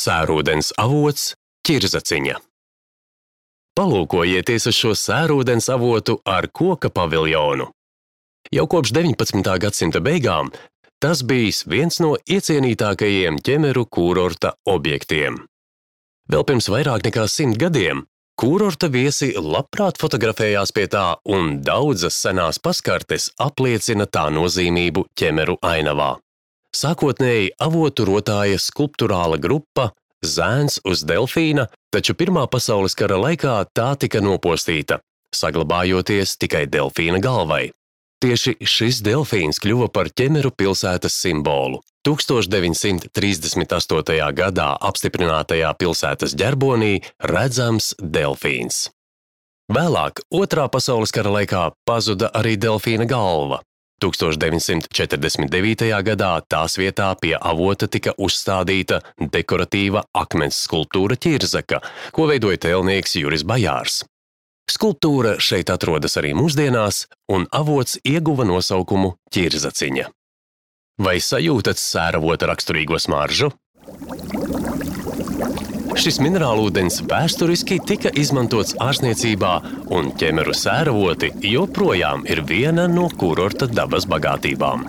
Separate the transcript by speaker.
Speaker 1: Sērūdens avots Ķirzaciņa. Palūkojieties uz šo sērūdens avotu ar koka paviljonu. Jau kopš 19. gadsimta beigām tas bijis viens no iecienītākajiem ķemeru kūrorta objektiem. Vēl pirms vairāk nekā 100 gadiem kūrorta viesi labprāt fotografējās pie tā, un daudzas senās paskartes apliecina tā nozīmību ķemeru ainavā. Sākotnēji avotu rotāja skulpturāla grupa Zēns uz delfīna, taču Pirmā pasaules kara laikā tā tika nopostīta, saglabājoties tikai delfīna galvai. Tieši šis delfīns kļuva par ķemeru pilsētas simbolu. 1938. gadā apstiprinātajā pilsētas ģerbonī redzams delfīns. Vēlāk, Otrā pasaules kara laikā pazuda arī delfīna galva. 1949. gadā tās vietā pie avota tika uzstādīta dekoratīva akmens skulptūra Ķirzaka, ko veidoja tēlnieks Juris Bajārs. Skulptūra šeit atrodas arī mūsdienās, un avots ieguva nosaukumu Ķirzaciņa. Vai sajūtat sēravota raksturīgo smaržu? Šis minerālūdens vēsturiski tika izmantots ārstniecībā, un ķemeru sēravoti joprojām ir viena no kūrorta dabas bagātībām.